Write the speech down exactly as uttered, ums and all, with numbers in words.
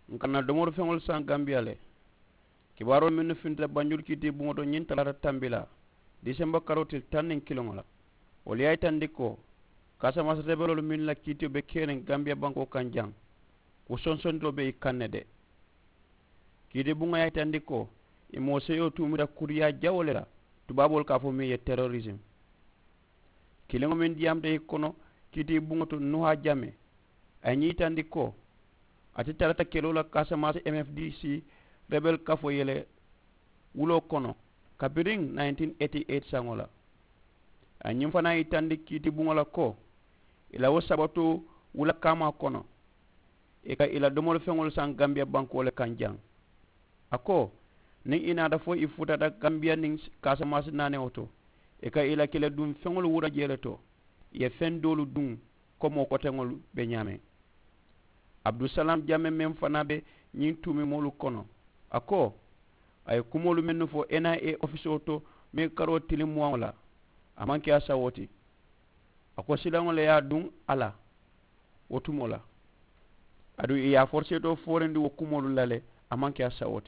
N ka na domori feŋolu saŋ gambiya le. Kibaaroo mennu fintita banjulu kiiti buŋo to ñiŋ talaata tambilaa, disemba karoo tili taŋ niŋ kiliŋo la, wolu ye a yitandi ko kaasamaasi rebeloolu mennu la kiitiyo be keriŋ gambiya bankoo kaŋ jaŋ, wo sonsondiloo be i kaŋ ne de. Kiiti buŋo ye a yitandi ko i moo seyoo tuumita kuriyaa jawoo le la, tubaaboolu ka a fo meŋ ye terorisimu. Kiliŋo meŋ diyaamuta i kono kiiti buŋo to nuhaa jame, a ye ñiŋ yitandi ko a te tarata keloo la kaasamaasi m f d c rebel kafoo yele wuloo kono kabiriŋ nineteen eighty eight saŋo la. A ye ñiŋ fanaa yitandi kiiti buŋo la ko i la wo sabatoo wula kaamaa kono i ka i la domori feŋolu saŋ gambiya bankoo le kaŋ jaŋ. A ko niŋ i naata fo i futata gambiya niŋ kaasamaasi naanewo to, i ka i la kele duŋ feŋolu wura jee le to, i ye feŋ doolu duŋ ko moo koteŋolu be ñaameŋ. Abudusalaam jame meŋ fanaa be ñiŋ tuumimoolu kono, a ko a ye kumoolu mennu fo n i a ofisoo to meŋ karoo tiliŋ muwaŋo la, a maŋ ke a sawoo ti. A ko silaŋo le ye a duŋ a la wo tumoo la, aduŋ i ye a foriseetoo foorindi wo kumoolu la le, a maŋ ke a sawoo ti.